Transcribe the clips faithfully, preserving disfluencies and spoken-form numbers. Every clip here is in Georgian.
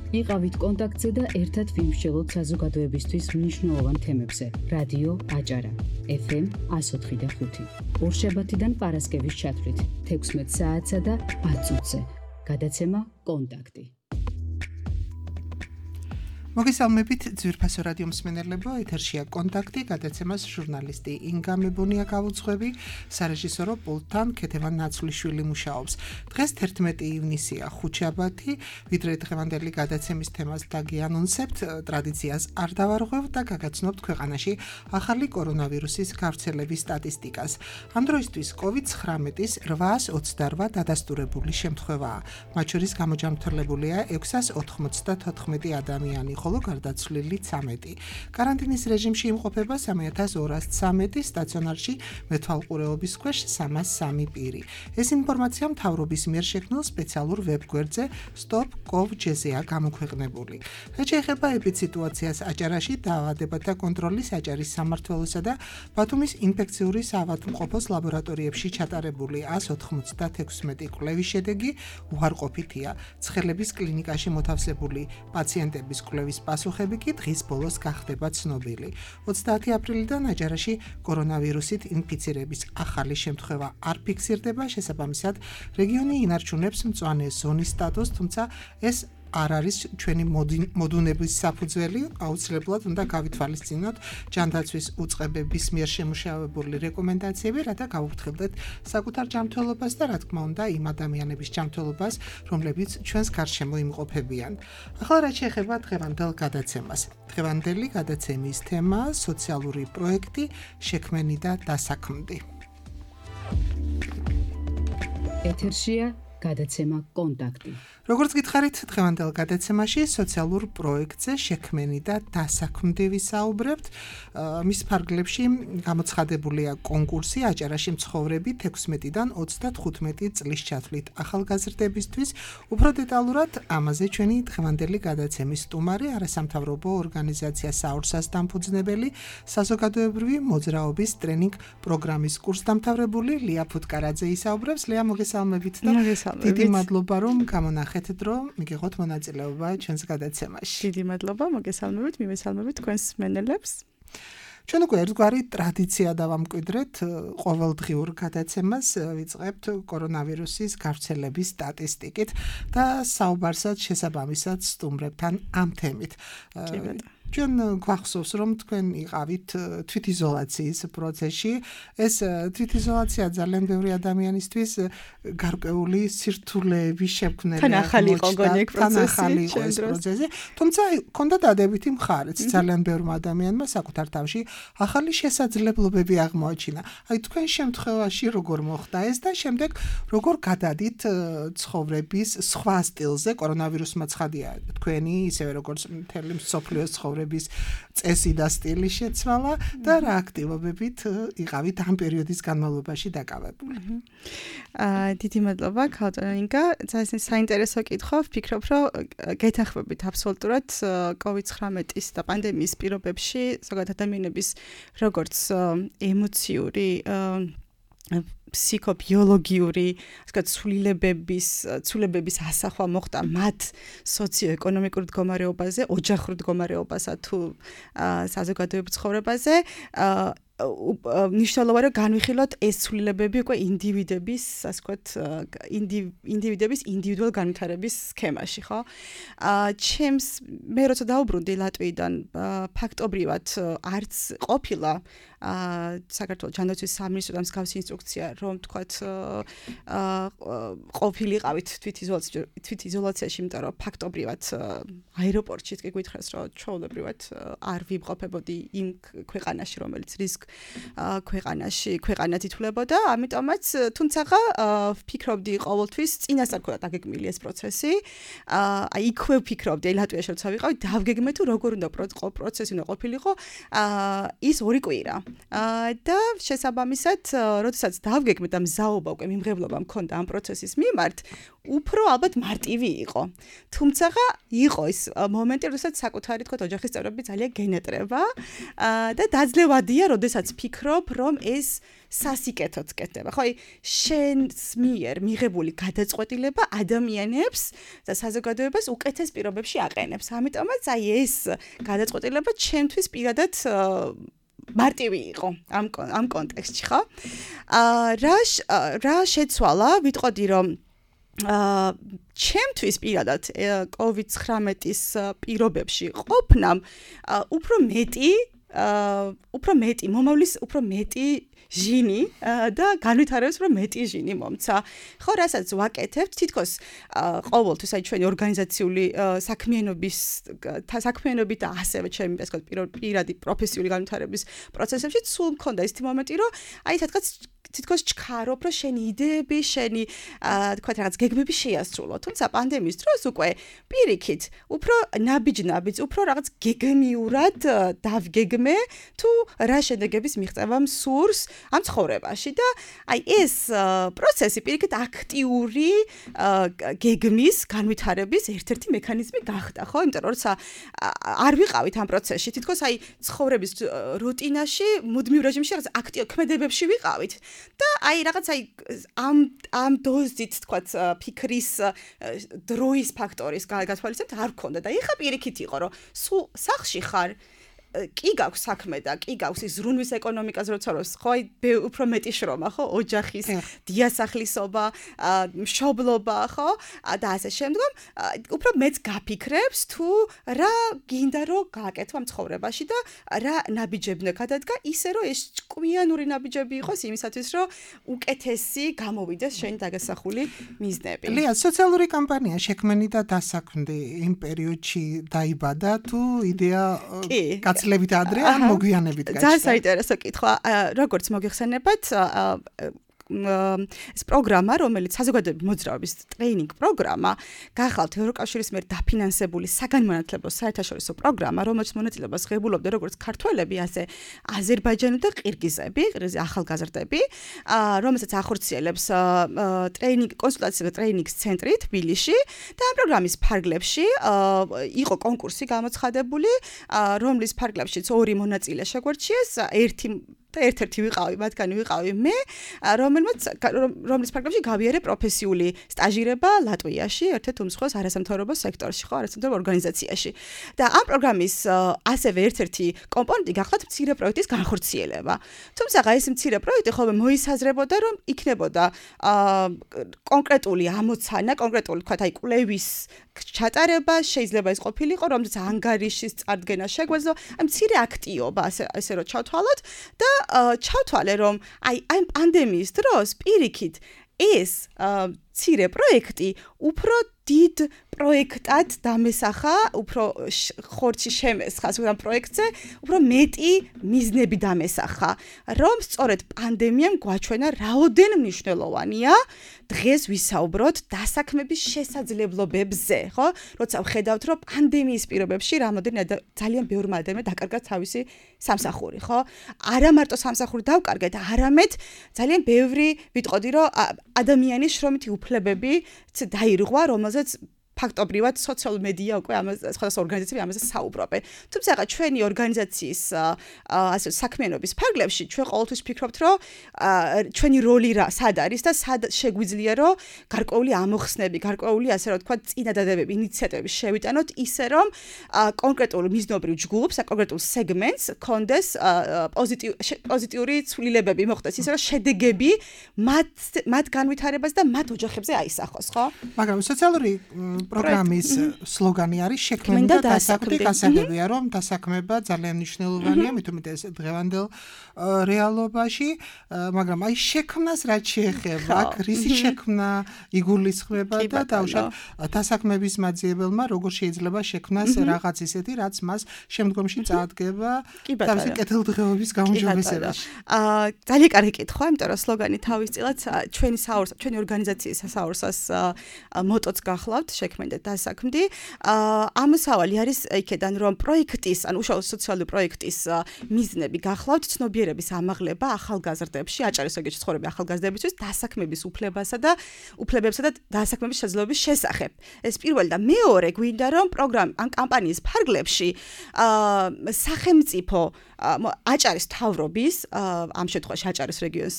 იყავით კონტაქტზე და ერთად ვიმსჯელოთ საზოგადოებისთვის მნიშვნელოვან თემებზე. რადიო აჭარა, ეფ ემ εκατო ოთხი და ხუთი. ორშაბათიდან პარასკევის ჩათვლით, თექვსმეტ საათსა და ათ წუთზე. გადაცემა კონტაქტი. მოგესალმებით ძვირფასო რადიო მსმენელებო, ეთერშია კონტაქტი, გადაცემას ჟურნალისტი ინგა მებონია გავუძღვები, სარეჟისორო პულტთან ქეთევან ნაცვლიშვილი მუშაობს. დღეს თერთმეტი ივნისია, ხუთშაბათი, ვიდრე დღევანდელი გადაცემის თემას დაგიანონსებთ, ტრადიციას არ დავარღვევთ და გაგაცნობთ ქვეყანაში ახალი კორონავირუსის გავრცელების სტატისტიკას. ამ დროისთვის კოვიდ ცხრამეტის რვაას ოცდარვა დადასტურებული შემთხვევაა, მათ შორის გამოჯამრთელებულია ექვსას ოთხმოცდათოთხმეტი ადამიანი. ხოლო გარდაცვლილი ცამეტი. კარანტინის რეჟიმში იმყოფება სამი ათას ორას ცამეტი, სტაციონარში მეთვალყურეობის ქვეშ სამას სამი პირი. ეს ინფორმაცია მთავრობის მიერ შექმნილ სპეციალურ ვებგვერდზე stop dot gov dot gr-ზეა გამოქვეყნებული. რაც შეეხება ეპიდსიტუაციას აჭარაში, დაავადებათა კონტროლის აჭარის სამმართველოსა და ბათუმის ინფექციური საავადმყოფოს ლაბორატორიებში ჩატარებული ას ოთხმოცდათექვსმეტი კვლევის შედეგი უარყოფითია. ცხელების კლინიკაში მოთავსებული პაციენტების კვლევის პასუხები კი დღის ბოლოს გახდება ცნობილი. ოცდაათი აპრილიდან აჭარაში კორონავირუსით ინფიცირების ახალი შემთხვევა არ ფიქსირდება, შესაბამისად, რეგიონი ინარჩუნებს მწვანე ზონის სტატუსს, თუმცა ეს არ არის ჩვენი მოდუნების საფუძველი, აუცილებლად უნდა გავითვალისწინოთ ჯანდაცვის უწყებების მიერ შემუშავებული რეკომენდაციები, რათა გავუფრთხილდეთ საკუთარ ჯანმრთელობას და რა თქმა უნდა იმ ადამიანების ჯანმრთელობას, რომლებიც ჩვენს გარშემო იმყოფებიან. ახლა რაც შეეხება დღევანდელ გადაცემას. დღევანდელი გადაცემის თემა სოციალური პროექტი, შექმენი და დასაქმდი. ეთერშია გადაცემა კონტაქტი. როგორც გითხარით, დღევანდელ გადაცემაში სოციალურ პროექტზე შექმენი და დასაქმდი ვისაუბრებთ. მის ფარგლებში გამოცხადებულია კონკურსი აჭარაში მცხოვრები თექვსმეტიდან ოცდათხუთმეტი წლის ჩათვლით ახალგაზრდებისთვის. უფრო დეტალურად ამაზე ჩვენი დღევანდელი გადაცემის სტუმარი, არასამთავრობო ორგანიზაცია საურსას დამფუძნებელი, საზოგადოებრივი მოძრაობის ტრენინგ პროგრამის კურსდამთავრებული ლია ფუტკარაძე ისაუბრებს. ლია, მოგესალმებით და დიდი მადლობა რომ გამონახეთ, რომ მიგიღოთ მონაწილეობა ჩვენს გადაცემაში. დიდი მადლობა, მოგესალმებით, მიმესალმებით თქვენს მსმენელებს. ჩვენ უკვე ერთგვარი ტრადიცია დავამკვიდრეთ, ყოველდღიურ გადაცემას ვიწყებთ კორონავირუსის გავრცელების სტატისტიკით და საუბარსაც შესაბამისად სტუმრებთან ამ თემით. ჩვენ გვახსოვს, რომ თქვენ იყავით თვითიზოლაციის პროცესში. ეს თვითიზოლაცია ძალიან ბევრი ადამიანისთვის გარკვეული სირთულეების შექმნელი თან ახალი იყო გონი ეს პროცესი, თუმცა ჰქონდა დადებითი მხარეც. ძალიან ბევრმა ადამიანმა საკუთარ თავში ახალი შესაძლებლობები აღმოაჩინა. აი თქვენ შემთხვევაში როგორ მოხდა ეს და შემდეგ როგორ გადადით ცხოვრების სხვა სტილზე? კორონავირუსმა ცხადია თქვენი, ისევე როგორც მთელი მსოფლიოს ცხოვრების წესი და სტილი შეცვალა და რა აქტივობებით იყავით ამ პერიოდის განმავლობაში დაკავებული. აა დიდი მადლობა ქალწონო ინგა, ძალიან საინტერესო კითხვა. ვფიქრობ, რომ გეთანხმებით აბსოლუტურად კოვიდ ცხრამეტის და პანდემიის პირობებში ზოგადად ადამიანების როგორც ემოციური ფსიქობიოლოგიური, ასე ვთქვათ, ცვლილებების, ცვლილებების ასახვა მოხდა მათ სოციო-ეკონომიკურ მდგომარეობაზე, ოჯახურ მდგომარეობასა თუ საზოგადოებრივ ცხოვრებაზე. ნიშნულოვანია რომ განვიხილოთ ეს ცვლილებები უკვე ინდივიდების, ასე ვთქვათ, ინდივიდების ინდივიდუალ განვითარების სქემაში, ხო? აა ჩემს მე როცა დაუბრუნდი ლატვიიდან, ფაქტობრივად არც ყოფილა აა საქართველოს ჯანდაცვის სამინისტროდან მსგავსი ინსტრუქცია, რომ თქვათ აა ყოფილიყავით თვითიზოლაციაში, იმიტომ რომ ფაქტობრივად აეროპორტშიც კი გითხრას, რომ ჩვეულებრივად არ ვიმყოფებოდი იმ ქვეყანაში, რომელიც რისკ ქვეყანაში ქვეყანად ითვლებოდა, ამიტომაც თუმცა ვფიქრობდი ყოველთვის წინასწარ ქონდა დაგეგმილი ეს პროცესი. აი იქვე ვფიქრობდი, ლატვიაში როცა ვიყავი, დავგეგმე თუ როგორ უნდა პროცესი უნდა ყოფილიყო ის ორი კვირა. და შესაბამისად, როდესაც დავგეგმე და მზაობა უკვე მიმღებლობა მქონდა ამ პროცესის მიმართ, უფრო ალბათ მარტივი იყო. თუმცა იყო ის მომენტი, როდესაც საკუთარი თქვა ოჯახის წევრები ძალიან გენეტრება და დაძლევადია, როდესაც როდესაც ფიქრობ, რომ ეს სასიკეთოც კეთდება. ხო, შენს მიერ მიღებული გადაწყვეტილება ადამიანებს და საზოგადოებას უკეთეს პირობებში აყენებს. ამიტომაც აი ეს გადაწყვეტილება ჩემთვის პირადად მარტივი იყო ამ ამ კონტექსტში, ხო? აა რა რა შეცვალა, ვიტყოდი რომ აა ჩემთვის პირადად კოვიდ ცხრამეტის პირობებში ყოფნამ უფრო მეტი აა უფრო მეტი მომავლის უფრო მეტი ჟინი და განვითარების უფრო მეტი ჟინი მომცა. ხო, რასაც ვაკეთებთ, თითქოს ყოველთვის აი ჩვენი ორგანიზაციული საქმიანობის საქმიანობით და ასევე ჩემი ასე ვთქვათ პირადი პროფესიული განვითარების პროცესებში სულ მქონდა ის მომენტი, რომ აი სადღაც თითქოს ჩქარობ, რომ შენი იდეები, შენი თქვა რაღაც გეგმები შეასრულო. თუმცა პანდემიის დროს უკვე პირიქით, უფრო ნაბიჯ-ნაბიჯ, უფრო რაღაც გეგმიურად დავგეგმე თუ რა შედეგების მიღწევა მსურს ამ ცხოვრებაში და აი ეს პროცესი პირიქით აქტიური გეგმის განვითარების ერთ-ერთი მექანიზმი გახდა, ხო? იმიტომ რომ როცა არ ვიყავით ამ პროცესში, თითქოს აი ცხოვრების რუტინაში, მუდმივ რეჟიმში რაღაც აქტიურ ქმედებებში ვიყავით. და აი რაღაც აი ამ ამ დოზით თქვათ ფიქრის დროის ფაქტორის გათვალისწინებთ არ გქონდა და ეხა პირიქით იყო რომ სულ სახლში ხარ კი გაქვს საქმე და კი გაქვს ის ზრუნვის ეკონომიკაზე როცა როს ხო აი უფრო მეტი შრომა ხო ოჯახის დიასახლისობა მშობლობა ხო და ასე შემდგომ უფრო მეც გაფიქრებს თუ რა გინდა რომ გააკეთო ამ ცხოვრებაში და რა ნაბიჯები უნდა გადადგა ისე რომ ეს ჭკვიანური ნაბიჯები იყოს იმისათვის რომ უკეთესი გამოვიდეს შენი დაგასახული მიზნები. ლია, სოციალური კამპანია შექმენი და დასაქმდი იმ პერიოდში დაიბადა თუ იდეა გაცლებით ადრე ან მოგვიანებით გაჩნდა? ძალიან საინტერესო კითხვა. როგორც მოგიხსენებათ, ეს პროგრამა, რომელიც საზოგადოების მოძრაობის ტრეინინგ პროგრამა, გახალთ ევროკავშირის მიერ დაფინანსებული საგანმანათლებლო საერთაშორისო პროგრამა, რომელშიც მონაწილეობას ღებულობდნენ როგორც ქართველები, ასე აზერბაიჯანელი და ყირგიზები, ახალგაზრდები, რომელსაც ახორციელებს ტრეინინგ კონსულტაცია და ტრეინინგის ცენტრი თბილისში და ამ პროგრამის ფარგლებში იყო კონკურსი გამოცხადებული, რომლის ფარგლებშიც ორი მონაწილე შეგვარჩიეს, ერთი და ერთ-ერთი ვიყავი, მათგანი ვიყავი მე, რომელმაც რომლის ფარგლებში გავიარე პროფესიული სტაჟირება ლატვიაში, ერთ-ერთ უმსხვილეს არასამთავრობო სექტორში, ხო, არასამთავრობო ორგანიზაციაში. და ამ პროგრამის ასევე ერთ-ერთი კომპონენტი გახლავთ მცირე პროექტის განხორციელება. თუმცა ეს მცირე პროექტი ხოლმე მოისაზრებოდა, რომ იქნებოდა კონკრეტული ამოცანა, კონკრეტული თქვა აი კვლევის ჩატარება, შეიძლება ის ყოფილიყო, რომელზეც ანგარიშის წარდგენა შეგვეძლო, აი მცირე აქტიობა, ასე ასე რომ ჩავთვალოთ და ჩავთვალე რომ აი აი პანდემიის დროს პირიქით ეს მცირე პროექტი უფრო დიდ პროექტად დამესახა, უფრო ხორცი შემესხა ამ პროექტზე, უფრო მეტი მიზნები დამესახა, რომ სწორედ პანდემიამ გვაჩვენა რაოდენ მნიშვნელოვანია დღეს ვისაუბროთ დასაქმების შესაძლებლობებზე, ხო? როცა ვხედავთ, რომ პანდემიის პირობებში რამოდენიმე ძალიან ბევრმა ადამიანმა დაკარგა თავისი სამსახური, ხო? არა მარტო სამსახური დავკარგეთ, არამედ ძალიან ბევრი ვიტყოდი, რომ ადამიანის შრომითი უფლებები დაირღვა, რომელზეც ფაქტობრივად სოციალურ მედია უკვე ამას სხვადასხვა ორგანიზაციები ამაზე საუბრობენ. თუმცა რა ჩვენი ორგანიზაციის ასე საქმიანობის ფარგლებში ჩვენ ყოველთვის ვფიქრობთ, რომ ჩვენი როლი რა სად არის და სად შეგვიძლია რომ გარკვეული ამოხსნები, გარკვეული ასე რომ თქვა წინადადებები, ინიციატივები შევიტანოთ ისე რომ კონკრეტულ მიზნობრივ ჯგუფს, კონკრეტულ სეგმენტს კონდეს პოზიტიური ცვლილებები მოხდეს, ისე რომ შედეგები მათ მათ განვითარებას და მათ ოჯახებზე აისახოს, ხო? მაგრამ სოციალური პროგრამის სლოგანი არის შექმენი და დასაქმდი. გასაგებია რომ დასაქმება ძალიან მნიშვნელოვანია, მით უმეტეს დღევანდელ რეალობაში, მაგრამ აი შექმნას რაც შეეხება, რისი შექმნა იგულისხმება და დაუშვათ დასაქმების მაძიებელმა როგორ შეიძლება შექმნას რაღაც ისეთი, რაც მას შემდგომში წაადგება თავისი კეთილდღეობის გაუმჯობესებაში. აა ძალიან კარგი კითხვა, იმიტომ რომ სლოგანი თავისწილად ჩვენი საორს ჩვენი ორგანიზაციის საორსას მოტოც გახლავთ, შექმნა საქმე და დასაქმდი. ამოსავალი არის იქედან რომ პროექტის, ან უშუალოდ სოციალური პროექტის მიზნები გახლავთ ცნობიერების ამაღლება ახალგაზრდებში, აჭარის რეგიონში ცხოვრები ახალგაზრდებისთვის დასაქმების უფლებასა და უფლებებსა და დასაქმების შესაძლებლობის შესახებ. ეს პირველი და მეორე გვინდა რომ პროგრამ ან კამპანიის ფარგლებში სახელმწიფო აჭარის მთავრობის ამ შემთხვევაში აჭარის რეგიონს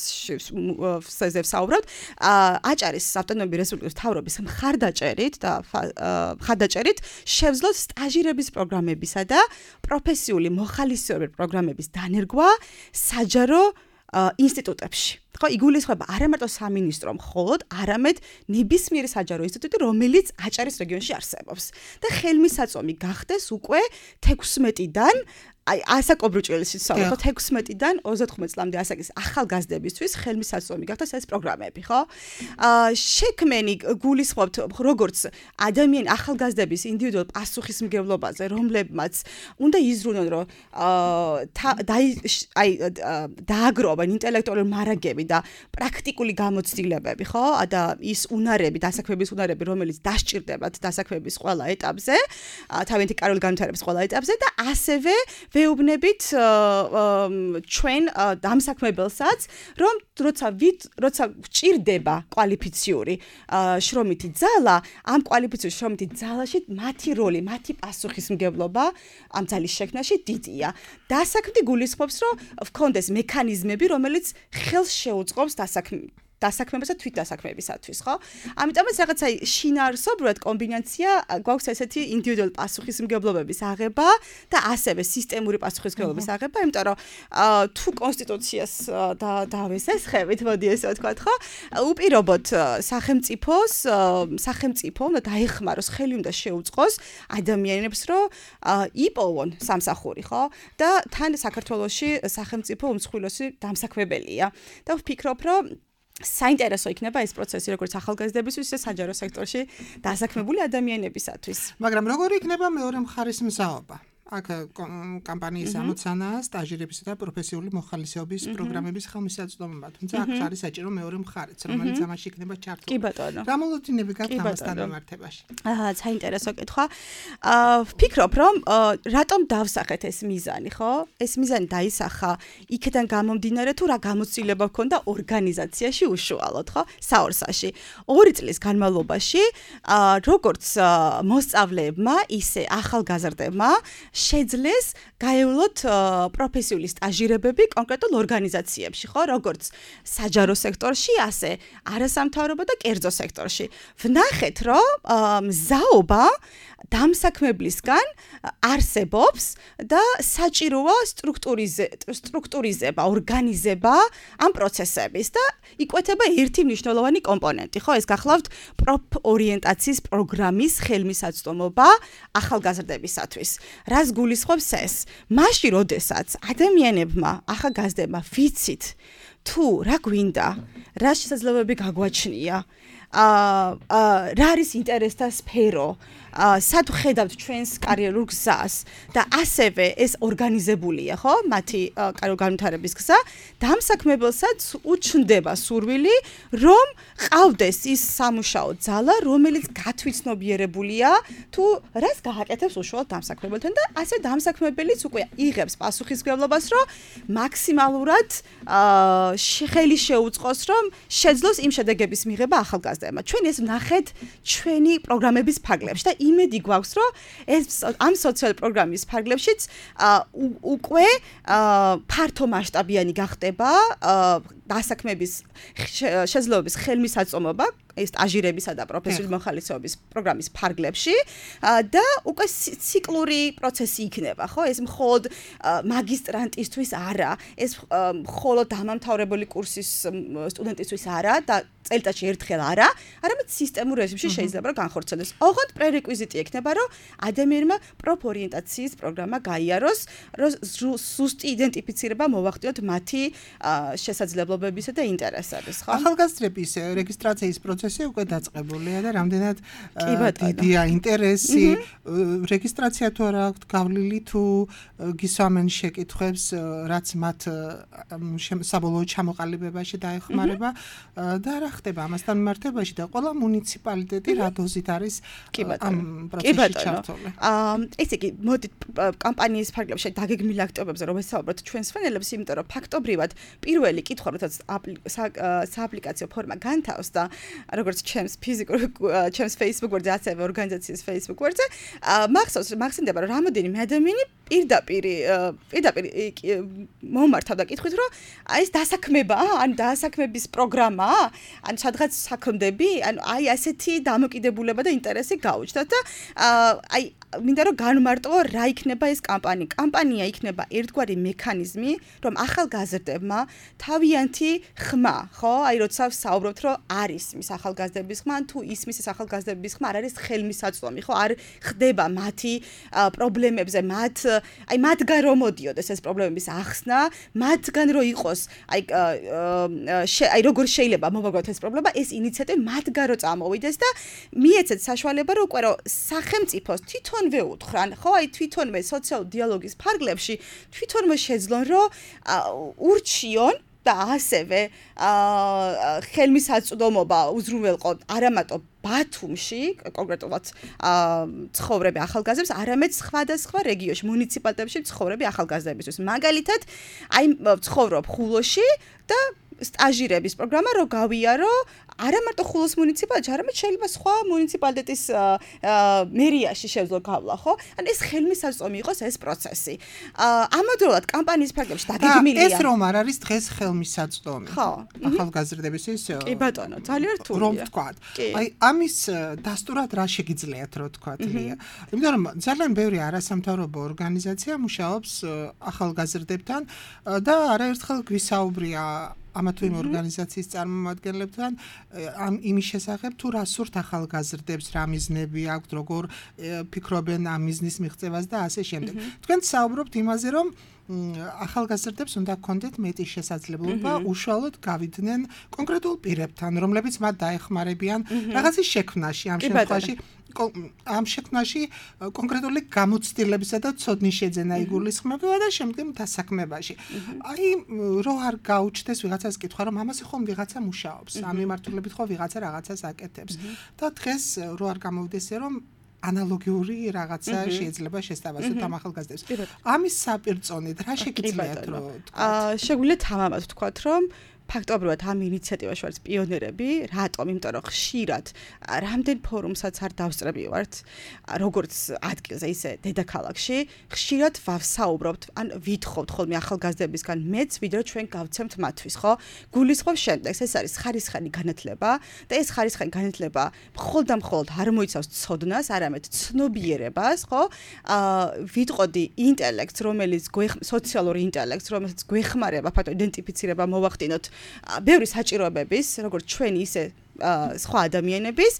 საუბრობთ აჭარის ავტონომიური რესპუბლიკის მთავრობის მხარდაჭერით და მხარდაჭერით შევძლოთ სტაჟირების პროგრამებისა და პროფესიული მოხალისეობის პროგრამების დანერგვა საჯარო ინსტიტუტებში. ხო, იგულისხმება არა მარტო სამინისტრო, მხოლოდ არამედ ნებისმიერი საჯარო ინსტიტუტი, რომელიც აჭარის რეგიონში არსებობს. და ხელმისაწვდომი გახდეს უკვე თექვსმეტიდან აი ასაკობრივ ჭრილში საუბრობთ თექვსმეტიდან ოცდათხმეტ წლამდე ასაკის ახალგაზრდებისთვის ხელმისაწვდომი გახდეს ეს პროგრამები, ხო? აა შექმენი გულისხმობთ როგორც ადამიანი ახალგაზრდების ინდივიდუალურ პასუხისმგებლობაზე, რომლებმაც უნდა იზრუნონ, რომ აა აი დააგროვონ ინტელექტუალური მარაგები და პრაქტიკული გამოცდილებები, ხო? და ის უნარები, დასაქმების უნარები, რომელიც დასჭირდებათ დასაქმების ყველა ეტაპზე, თავიანთი კარიერული განვითარების ყველა ეტაპზე და ასევე ვეუბნებით ჩვენ დამსაქმებელსაც, რომ როცა როცა გჭირდება კვალიფიციური შრომითი ძალა, ამ კვალიფიციური შრომითი ძალაში მათი როლი, მათი პასუხისმგებლობა ამ ძალის შექმნაში დიდია. დასაქმდი გულისხმობს, რომ ვქონდეს მექანიზმები, რომელიც ხელს შეუწყობს დასაქმებას დასაქმებასა თვით დასაქმებისათვის, ხო? ამიტომაც რაღაცა შინაარსობრივად კომბინაცია გვაქვს ესეთი ინდივიდუალური პასუხისმგებლობების აღება და ასევე სისტემური პასუხისმგებლობის აღება, იმიტომ რომ თუ კონსტიტუციას დავესესხებით, მოდი ესე ვთქვათ, ხო? უპირობოდ სახელმწიფოს, სახელმწიფო უნდა დაეხმაროს, ხელი უნდა შეუწყოს ადამიანებს, რომ იპოვონ სამსახური, ხო? და თან საქართველოში სახელმწიფო უმსხვილესი დამსაქმებელია. და ვფიქრობ, რომ საინტერესო იქნება ეს პროცესი როგორც ახალგაზრდებისთვის, ისე საჯარო სექტორში დასაქმებული ადამიანებისათვის. მაგრამ როგორი იქნება მეორე მხარის მზაობა? აქ კამპანიის ამოცანაა სტაჟირებისა და პროფესიული მოხალისეობის პროგრამების ხელმისაწვდომობა. თუმცა აქ არის საჭირო მეორე მხარეც, რომელიც ამაში იქნება ჩართული. კი ბატონო. რა მოლოდინები გაქვთ ამასთან მიმართებაში? აა, საინტერესო კითხვა. აა, ვფიქრობ, რომ რატომ დავსახეთ ეს მიზანი, ხო? ეს მიზანი დაისახა იქიდან გამომდინარე თუ რა გამოცდილება ჰქონდა ორგანიზაციაში უშუალოდ, ხო? საორსაში. ორი წლის განმავლობაში, აა, როგორც მოსწავლეებმა, ისე ახალგაზრდებმა შეძლეს გაევლოთ პროფესიული სტაჟირებები კონკრეტულ ორგანიზაციებში, ხო, როგორც საჯარო სექტორში, ასე არასამთავრობო და კერძო სექტორში. ვნახეთ, რომ მზაობა დამსაქმებლისგან არსებობს და საჭიროა სტრუქტურიზება, ორგანიზება ამ პროცესების და იკვეთება ერთი მნიშვნელოვანი კომპონენტი, ხო, ეს გახლავთ პროფორიენტაციის პროგრამის ხელმისაწვდომობა ახალგაზრდებისათვის. რას გულისხმობს ეს? მაშინ, როდესაც ადამიანებმა, ახალგაზრდებმა ვიცით, თუ რა გვინდა, რა შესაძლებლობები გაგვაჩნია, აა რა არის ინტერესთა სფერო, სად ვხედავთ ჩვენს კარიერულ გზას და ასევე ეს ორგანიზებულია, ხო? მათი კარიერული განვითარების გზა, დამსაქმებელსაც უჩნდება სურვილი, რომ ყავდეს ის სამუშაო ძალა, რომელიც გათვითცნობიერებულია თუ რას გააკეთებს უშუალოდ დამსაქმებელთან და ასე დამსაქმებელიც უკვე იღებს პასუხისმგებლობას, რომ მაქსიმალურად ხელი შეუწყოს, რომ შეძლოს იმ შედეგების მიღება ახალგაზრდებმა. ჩვენ ეს ვნახეთ ჩვენი პროგრამების ფარგლებში და იმედი გვაქვს, რომ ეს ამ სოციალური პროგრამის ფარგლებშიც უკვე ფართო მასშტაბიანი გახდება დასაქმების შესაძლებლობის ხელმისაწვდომობა ეს სტაჟირებისა და პროფესიული მოხალისეობის პროგრამის ფარგლებში და უკვე ციკლური პროცესი იქნება, ხო? ეს მხოლოდ მაგისტრანტისთვის არა, ეს მხოლოდ დამამთავრებელი კურსის სტუდენტისთვის არა და წელიწადში ერთხელ არა, არამედ სისტემურ რეჟიმში შეიძლება რომ განხორციელდეს. ოღონდ პრერეკვიზიტი ექნება, რომ ადამიანმა პროფორიენტაციის პროგრამა გაიაროს, რომ ზუსტი იდენტიფიცირება მოვახდინოთ მათი შესაძლებლობები მცდელობებისა და ინტერესების, ხო? ახალგაზრდების რეგისტრაციის პროცესი უკვე დაწყებულია და რამდენად დიდია ინტერესი, რეგისტრაცია თუ არა აქვთ გავლილი თუ გისვამენ შეკითხვებს, რაც მათ საბოლოო ჩამოყალიბებაში დაეხმარება და რა ხდება ამასთან მიმართებაში და ყველა მუნიციპალიტეტი რა დოზით არის ამ პროცესში ჩართული. აა ესე იგი, მოდით კამპანიის ფარგლებში დაგეგმილ აქტივობებზე რომ ვესაუბროთ ჩვენს ფრენელებს, იმიტომ რომ ფაქტობრივად პირველი კითხვა, როდესაც სააპლიკაციო ფორმა განთავს და როგორც ჩემს ფიზიკურ ჩემს Facebook ვერზე, ასევე ორგანიზაციის Facebook ვერზე, მახსოვს, მახსენდება რომ რამოდენიმე ადამიანი პირდაპირ პირდაპირ მომართავდა კითხვით, რომ აი ეს დასაქმებაა, ან დასაქმების პროგრამაა, ან სადღაც საქმდები, ან აი ასეთი დამოკიდებულება და ინტერესი გაუჩნდათ და აი მინდა რომ განმარტო რა იქნება ეს კამპანია. კამპანია იქნება ერთგვარი მექანიზმი, რომ ახალგაზრდებმა თავიანთი ხმა, ხო? აი როცა ვსაუბრობთ, რომ არ ისმის ახალგაზრდების ხმა, თუ ისმის ეს ახალგაზრდების ხმა, არ არის ხელმისაწვდომი, ხო? არ ხდება მათი პრობლემებზე, მათ აი მათგან რომ მოდიოდეს ეს პრობლემების ახსნა, მათგან რომ იყოს, აი აი როგორ შეიძლება მოვაგოთ ეს პრობლემა, ეს ინიციატივა მათგან რომ წამოვიდეს და მიეცეთ საშუალება, რომ უკვე რომ სახელმწიფოს თვითონ ვეუთხრან, ხო, აი თვითონვე სოციალურ დიალოგის ფარგლებში თვითონვე შეძლონ, რომ ურჩიონ და ასევე ხელმისაწვდომობა უზრუნველყო არამატო ბათუმში, კონკრეტულად ცხოვრები ახალგაზრდებს, არამედ სხვადასხვა რეგიონში, მუნიციპალიტეტებში ცხოვრები ახალგაზრდებისთვის. მაგალითად, აი ცხოვრობ ხულოში და სტაჟირების პროგრამა რო გავიარო, არა მარტო ხულოს მუნიციპალიტეტში, არამედ შეიძლება სხვა მუნიციპალიტეტის მერიაში შევძლო გავლა, ხო? ან ეს ხელმისაწვდომი იყოს ეს პროცესი. ამავდროულად კამპანიის ფარგლებში დაგეგმილია. ეს რომ არ არის დღეს ხელმისაწვდომი. ხო. ახალგაზრდებისთვის. კი ბატონო, ძალიან რთულია. რომ ვთქვათ. აი ამის დასტურად რა შეგიძლიათ რო ვთქვათ, ლია. იმიტომ რომ ძალიან ბევრი არასამთავრობო ორგანიზაცია მუშაობს ახალგაზრდებთან და არაერთხელ გვისაუბრია ამა თუ იმ ორგანიზაციის წარმომადგენლებთან ამ იმის შესახებ თუ რა სურთ ახალგაზრდებს, რა მიზნები აქვთ, როგორ ფიქრობენ ამ მიზნის მიღწევას და ასე შემდეგ. თქვენ საუბრობთ იმაზე, რომ ახალგაზრდებს უნდა გქონდეთ მეტი შესაძლებლობა უშუალოდ გავიდნენ კონკრეტულ პირებთან, რომლებიც მათ დაეხმარებიან რაღაცის შექმნაში, ამ შემთხვევაში ამ შექმნაში კონკრეტული გამოცდილებისა და ცოდნის შეძენა იგულისხმება და შემდგომ დასაქმებაში. აი რო არ გაუჩნდეს ვიღაცას კითხვა, რომ ამაზე ხომ ვიღაცა მუშაობს, ამ მიმართულებით ხო ვიღაცა რაღაცას აკეთებს. და დღეს რო არ გამოვიდეს რომ ანალოგიური რაღაცა შეიძლება შესთავაზოთ ამ ახალგაზრდებს. ამის საპირწონედ რა შეგიძლიათ რომ თქვათ? აა შეგვიძლია თამამად ვთქვათ, რომ ფაქტობრივად ამ ინიციატივაში ვართ პიონერები, რატომ? იმიტომ რომ ხშირად რამდენ ფორუმსაც არ დავსწრები ვართ, როგორც ადგილზე, ისე დედაქალაქში, ხშირად ვავსაუბრობთ, ან ვითხოვთ ხოლმე ახალგაზრდებისგან მეც, ვიდრე ჩვენ გავცემთ მათთვის, ხო? გულისხმობს შემდეგს, ეს არის ხარისხიანი განათლება და ეს ხარისხიანი განათლება მხოლოდ და მხოლოდ არ მოიცავს ცოდნას, არამედ ცნობიერებას, ხო? აა ვიტყოდი ინტელექტს, რომელიც სოციალური ინტელექტს, რომელიც გვეხმარება ფაქტობრივად იდენტიფიცირება, მოვახდინოთ ბევრი საჭიროებების, როგორც ჩვენი ისე სხვა ადამიანების,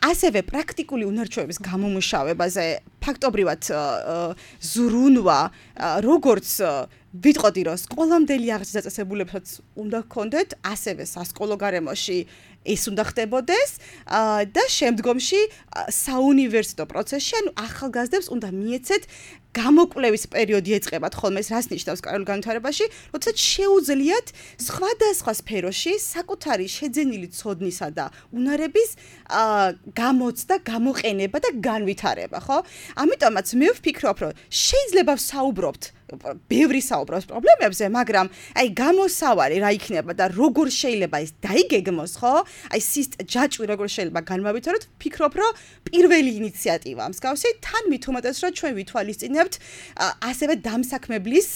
ასევე პრაქტიკული უნარჩვევების გამომუშავებაზე ფაქტობრივად ზრუნვა, როგორც ვიტყოდი, რომ სკოლამდელი აღზრდის დაწესებულებსაც უნდა გქონდეთ, ასევე სასკოლო გარემოში ეს უნდა ხდებოდეს და შემდგომში საუნივერსიტეტო პროცესში, ანუ ახალგაზრდებს უნდა მიეცეთ გამოკვლევის პერიოდი ეწყებათ ხოლმე, ეს რას ნიშნავს კარულ განვითარებაში, როდესაც შეუძლიათ სხვადასხვა სფეროში საკუთარი შეძენილი ცოდნისა და უნარების გამოცდა, გამოყენება და განვითარება, ხო? ამიტომაც მე ვფიქრობ, რომ შეიძლება ვსაუბრობთ ბევრი საუბრობს პრობლემებზე, მაგრამ აი გამოსავალი რა იქნება და როგორ შეიძლება ეს დაიგეგმოს, ხო? აი ჯაჭვი როგორ შეიძლება განმავითაროთ, ვფიქრობ, რომ პირველი ინიციატივა მსგავსი თან მით უმეტეს, რომ ჩვენ ვითვალისწინებთ ასევე დამსაქმებლის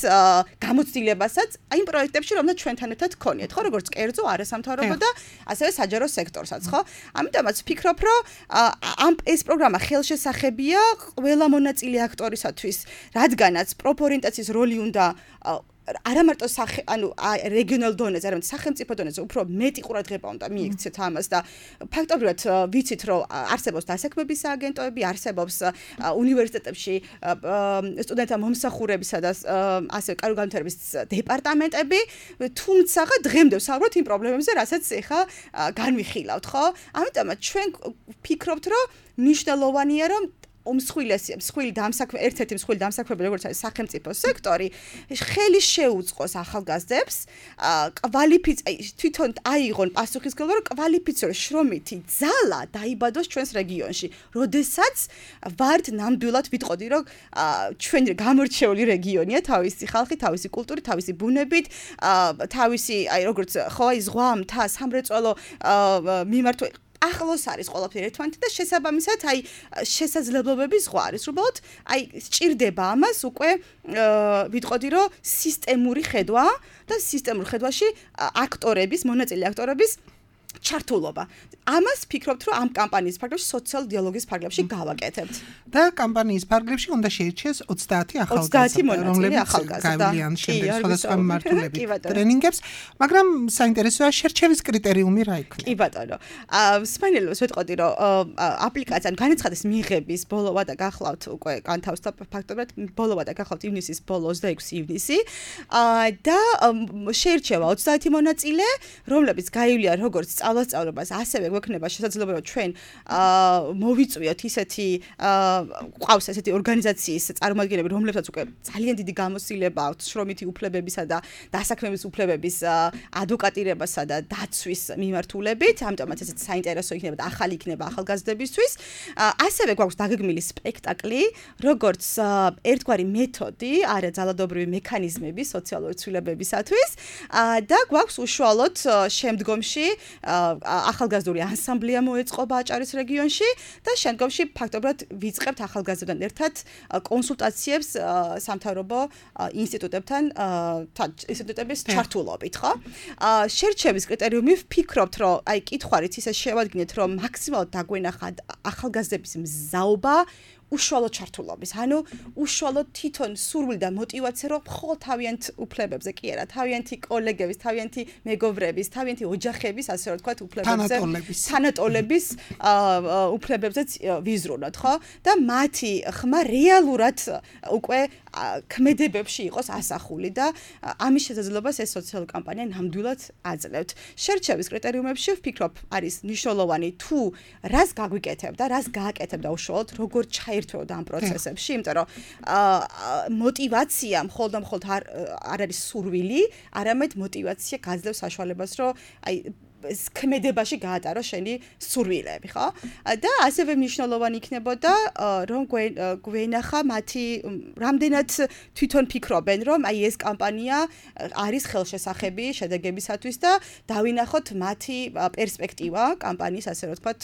გამოცდილებასაც აი იმ პროექტებში, რომელსაც ჩვენთან ერთად გქონიათ, ხო, როგორც კერძო არასამთავრობო და ასევე საჯარო სექტორსაც, ხო? ამიტომაც ვფიქრობ, რომ ამ ეს პროგრამა ხელშესახებია ყველა მონაწილე აქტორისათვის, რადგანაც პროპორიენტაციის როლი უნდა არა მარტო სახე ანუ რეგიონალ დონეზე, არამედ სახელმწიფო დონეზე უფრო მეტი ყურადღება უნდა მიიქცეთ ამას და ფაქტობრივად ვიცით რომ არსებობს დასაქმების სააგენტოები, არსებობს უნივერსიტეტებში სტუდენტთა მომსახურებისა და ასე კარგი განვითარების დეპარტამენტები, თუმცა დღემდე ვსაუბრობთ იმ პრობლემებზე, რასაც ეხა განვიხილავთ, ხო? ამიტომ ჩვენ ვფიქრობთ, რომ მნიშვნელოვანია, რომ უმსხვილესი, მსხვილი დამსაქმე, ერთ-ერთი მსხვილი დამსაქმებელი, როგორც არის სახელმწიფო სექტორი, ხელი შეუწყოს ახალგაზრდებს, კვალიფიცი თვითონ აიღონ პასუხისმგებლობა, რომ კვალიფიციური შრომითი ძალა დაიბადოს ჩვენს რეგიონში. როდესაც ვართ ნამდვილად ვიტყოდი, რომ ჩვენი გამორჩეული რეგიონია, თავისი ხალხი, თავისი კულტურით, თავისი ბუნებით, თავისი, აი როგორც ხო აი ზღვა, მთა, სამრეწველო მიმართვა ახლოს არის ყველაფერი ერთმანეთთან და შესაბამისად აი შესაძლებლობების ზღვა არის. უბრალოდ აი სჭირდება ამას უკვე ვიტყოდი რომ სისტემური ხედვა და სისტემურ ხედვაში აქტორების, მონაწილე აქტორების ჩართულობა. ამას ფიქრობთ რომ ამ კამპანიის ფარგლებში სოციალ დიალოგის ფარგლებში გავაკეთებთ. და კამპანიის ფარგლებში უნდა შეირჩიეს ოცდაათი ახალგაზრდა, რომლებიც გაივლიან შემდეგ სხვადასხვა მიმართულებით ტრენინგებს, მაგრამ საინტერესოა შერჩევის კრიტერიუმი რა იქნება. კი ბატონო. სპეციალურად ვეთყოდი რომ აპლიკაცია განაცხადეს მიღების ბოლოვა და გახლავთ უკვე განთავსდა ფაქტობრივად ბოლოვა და გახლავთ ივნისის ბოლო ოცდაექვსი ივნისი და შეირჩევა ოცდაათი მონაწილე, რომლებიც გაივლიან როგორც სწავლასწავლობას, ასევე გვექნება შესაძლებლობა რომ ჩვენ მოვიწვიოთ ისეთი ყავს ესეთი ორგანიზაციის წარმომადგენლები, რომლებსაც უკვე ძალიან დიდი გამოცდილება აქვთ შრომითი უფლებებისა და დასაქმების უფლებების ადვოკატირებასა და დაცვის მიმართულებით, ამიტომაც ესეც საინტერესო იქნება და ახალი იქნება ახალგაზრდებისთვის. ასევე გვაქვს დაგეგმილი სპექტაკლი, როგორც ერთგვარი მეთოდი, არა ძალადობრივი მექანიზმები სოციალური ცვლილებებისათვის და გვაქვს უშუალოდ შემდგომში ახალგაზრდული ანსამბლია მოეწყობა აჭარის რეგიონში და შემდგომში ფაქტობრივად ვიწყებთ ახალგაზრდებთან ერთად კონსულტაციებს სამთავრობო ინსტიტუტებთან ინსტიტუტების ჩართულობით, ხო? შერჩევის კრიტერიუმი ვფიქრობთ, რომ აი კითხვარით ისე შევადგინეთ, რომ მაქსიმალურად დაგვენახა ახალგაზრდების მზაობა უშუალო ჩართულობის, ანუ უშუალო თვითონ სურვილი და мотиваცია, რომ მხოლოდ თავიანთ უფლებებზე კი არა, თავიანთი კოლეგების, თავიანთი მეგობრების, თავიანთი ოჯახების, ასე რომ ვთქვათ, უფლებებზე, თანატოლების უფლებებზეც ვიზრუნოთ, ხო? და მათი ხმა რეალურად უკვე ქმედებებში იყოს ასახული და ამის შესაძლებლობას ეს სოციალური კამპანია ნამდვილად აძლევთ. შერჩევის კრიტერიუმებში ვფიქრობ, არის მნიშვნელოვანი თუ რას გაგვიკეთებ და რას გააკეთებდა უშუალოდ, როგორ ჩაერთვეოდა ამ პროცესებში, იმიტომ რომ мотиваცია მხოლოდ და მხოლოდ არ არის სურვილი, არამედ мотиваცია გაძლევს საშუალებას, რომ აი ქმედებაში გაატარო შენი სურვილები, ხო? და ასევე მნიშვნელოვანი იქნებოდა, რომ გვენახა მათი რამდენად თვითონ ფიქრობენ, რომ აი ეს კამპანია არის ხელშესახები შედეგებისათვის და დავინახოთ მათი პერსპექტივა კამპანიის, ასე რომ ვთქვათ,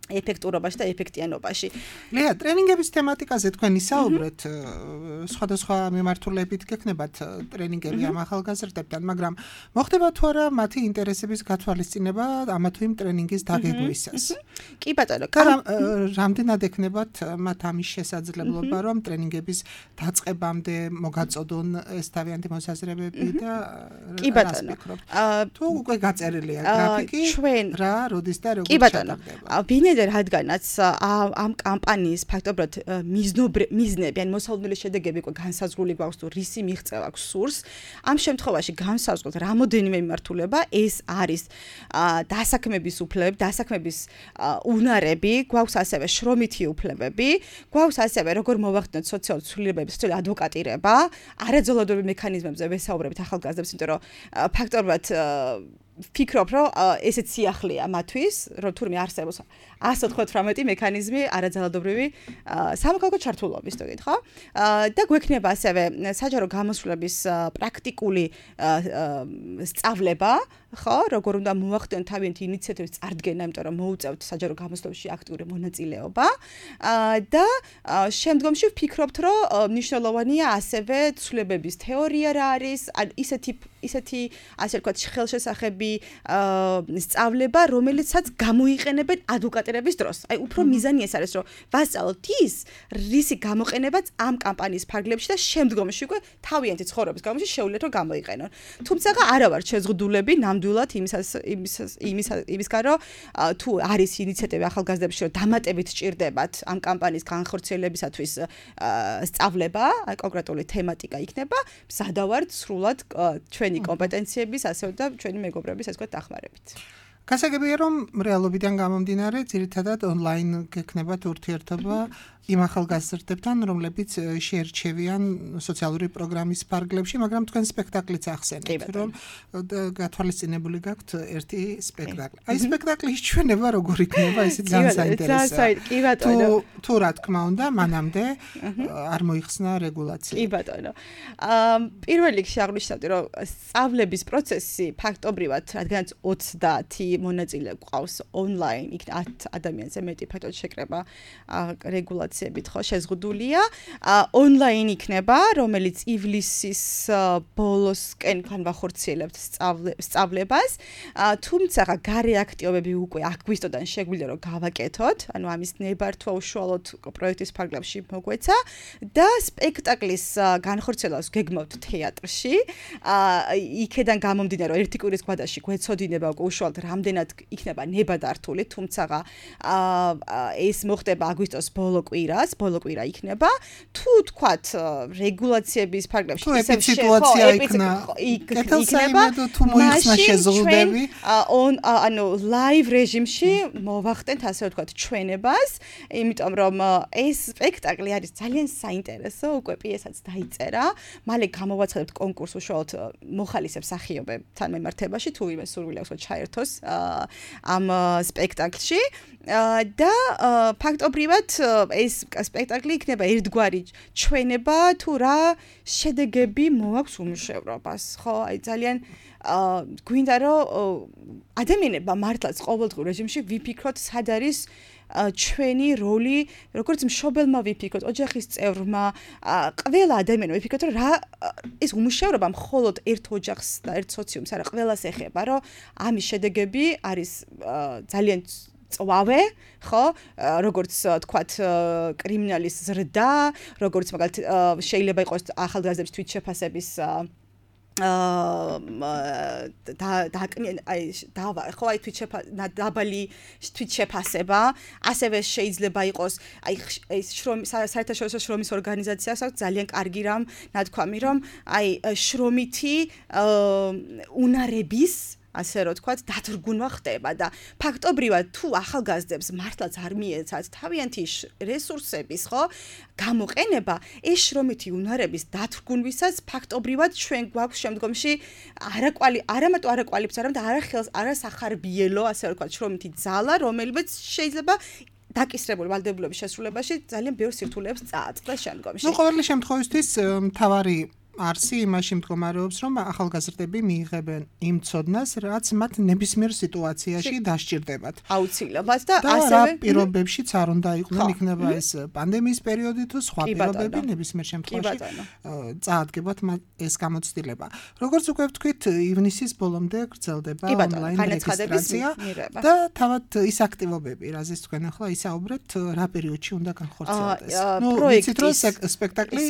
ეფექტურობაში და ეფექტიანობაში. ლეა, ტრენინგების თემატიკაზე თქვენ ისაუბრეთ, სხვადასხვა მიმართულებით გექნებათ ტრენინგები ამ ახალგაზრდებთან, მაგრამ მოხდება თუ არა მათი ინტერესების გათვალისწინება ამა თუ იმ ტრენინგის დაგეგვისას? კი ბატონო, რამდენად ექნებათ მათ ამის შესაძლებლობა, რომ ტრენინგების დაწყებამდე მოგაწოდონ ეს თავიანთი მოსაზრებები და კი ბატონო. თუ უკვე გაწერილია გრაფიკი, რა, როდის და როგორ ჩატარდება? რადგანაც ამ კამპანიის ფაქტობრივად მიზნები, ან მოსალოდნელი შედეგები უკვე განსაზღვრული გვაქვს თუ რისი მიღწევა აქვს სურს, ამ შემთხვევაში განსაზღვროთ რამოდენიმე მიმართულება, ეს არის დასაქმების უფლებები, დასაქმების უნარები, გვაქვს ასევე შრომითი უფლებები, გვაქვს ასევე როგორ მოვახდინოთ სოციალური ცვლილებები, სოციალური ადვოკატირება, არაძალადობრივი მექანიზმებზე ვესაუბრებთ ახალგაზრდებს, იმიტომ რომ ფაქტობრივად ვფიქრობ, რომ ესეც სიახლეა მათთვის, რომ თურმე არსებობს ასი ოცდაოთხმეტი მექანიზმი არაძალადობრივი სამოქალაქო ჩართულობის, თუ გითხო. და გვექნება ასევე საჯარო გამოსვლების პრაქტიკული სწავლება, ხო, როგორ უნდა მოახდინონ თავიანთი ინიციატივის წარდგენა, იმიტომ რომ მოუწევთ საჯარო გამოცდილებაში აქტიური მონაწილეობა. და შემდგომში ვფიქრობთ, რომ მნიშვნელოვანია ასევე ცვლილებების თეორია რა არის, ისეთი ისეთი ასე ვთქვათ ხელშესახები სწავლება, რომელიცაც გამოიყენებენ ადვოკატირების დროს. აი უფრო მიზანი ეს არის, რომ ვასწავლოთ ის, რისი გამოყენებაც ამ კამპანიის ფარგლებში და შემდგომში უკვე თავიანთი ცხოვრების გამოში შეუძლიათ რომ გამოიყენონ. თუმცა არა ვარ შეზღუდულები ნამდვილად იმისას იმისას იმის იმისგან რომ თუ არის ინიციატივა ახალგაზრდებში რომ დამატებით სჭირდებათ ამ კამპანიის განხორციელებისათვის სწავლება, აი კონკრეტული თემატიკა იქნება, მზადავართ სრულად ჩვენი კომპეტენციების ასევე და ჩვენი მეგობრების ასე ვთქვათ დახმარებით. გასაგებია რომ რეალობიდან გამომდინარე ძირითადად ონლაინ გექნებათ ურთიერთობა იმ ახალგაზრდებთან, რომლებიც შეერჩევიან სოციალური პროგრამის ფარგლებში, მაგრამ თქვენ სპექტაკლიც ახსენეთ, რომ გათვალისწინებული გაქვთ ერთი სპექტაკლი. აი სპექტაკლის ჩვენება როგორ იქნება, ესეც ძალიან საინტერესოა. კი ბატონო. თუ რა თქმა უნდა, მანამდე არ მოიხსნა რეგულაცია. კი ბატონო. აა პირველ რიგში აღნიშნავდი, რომ სწავლების პროცესი ფაქტობრივად, რადგანაც ოცდაათი მონაწილე გვყავს ონლაინ, იქ ათ ადამიანზე მეტი ფაქტობრივად შეკრება რეგულაციებით ხო შეზღუდულია. ონლაინ იქნება, რომელიც ივლისის ბოლოსკენ განვახორციელებთ სწავლებას. თუმცა გარე აქტივობები უკვე აგვისტოდან შეგვიძლია რომ გავაკეთოთ, ანუ ამის ნებართვა უშუალოდ პროექტის ფარგლებში მოგვეცა და სპექტაკლის განხორციელებას გეგმავთ თეატრში. იქედან გამომდინარე რომ ერთი კვირის გვადაში გვეცოდინება უკვე უშუალოდ რამდენად იქნება ნებადართული, თუმცა ეს მოხდება აგვისტოს ბოლო კვირას, ბოლო კვირა იქნება. თუ თქვათ რეგულაციების ფარგლებში ისევ სიტუაცია იქნება, თუ მოიხსნა შეზღუდვები, ანუ ლაივ რეჟიმში მოვახდენთ ასე ვთქვათ ჩვენებას, იმიტომ რომ ეს სპექტაკლი არის ძალიან საინტერესო, უკვე პიესაც დაიწერა. მალე გამოვაცხადებთ კონკურს უშუალოდ მოხალისებს მსახიობებთან მიმართებაში, თუ იმეს სურვილი აქვს ჩაერთოს ამ სპექტაკლში. და ფაქტობრივად ეს სპექტაკლი იქნება ერთგვარი ჩვენება თუ რა შედეგები მოაქვს უმუშევრობას, ხო? აი ძალიან გვინდა რომ ადამიანებმა მართლაც ყოველდღიურ რეჟიმში ვიფიქროთ სად არის ჩვენი როლი, როგორც მშობელმა ვიფიქროთ, ოჯახის წევრმა, ყველა ადამიანმა ვიფიქროთ, რომ რა ეს უმუშევრობა მხოლოდ ერთ ოჯახს და ერთ სოციუმს არა, ყველას ეხება, რომ ამის შედეგები არის ძალიან წვავე, ხო? როგორც თქვათ, კრიმინალის ზრდა, როგორც მაგალითად შეიძლება იყოს ახალგაზრდების თვითშეფასების და და აი დავა ხო აი დაბალი თვითშეფასება, ასევე შეიძლება იყოს აი ეს საერთაშორისო შრომის ორგანიზაციას აქვს ძალიან კარგი რამ ნათქვამი, რომ აი შრომითი უნარების ასე რომ თქვათ, დათრგუნვა ხდება და ფაქტობრივად თუ ახალგაზრდებს მართლაც არ მიეცათ თავიანთი რესურსების, ხო, გამოყენება, ეს შრომითი უნარების დათრგუნვისას ფაქტობრივად ჩვენ გვაქვს შემდგომში არაკვალი, არამატო არაკვალიფიცირებული, არამედ არახელს, არასახარბიელო, ასე რომ თქვათ, შრომითი ძალა, რომელიც შეიძლება დაკისრებული ვალდებულების შესრულებაში ძალიან ბევრ სირთულეებს წააწყდეს შემდგომში. ნუ ყოველი შემთხვევისთვის მთავარი არსი იმაში მდგომარეობს, რომ ახალგაზრდები მიიღებენ იმ ცოდნას, რაც მათ ნებისმიერ სიტუაციაში დასჭირდებათ. აუცილებლად და ასევე პირობებშიც არ უნდა იყვნენ, იქნება ეს პანდემიის პერიოდი თუ სხვა პირობები, ნებისმიერ შემთხვევაში წაადგებათ ეს გამოცდილება. როგორც უკვე ვთქვით, ივნისის ბოლომდე გრძელდება ონლაინ რეგისტრაცია და თავად ის აქტივობები, რაზეც თქვენ ახლა ისაუბრეთ, რა პერიოდში უნდა განხორციელდეს. ნუ ვიცით რომ სპექტაკლი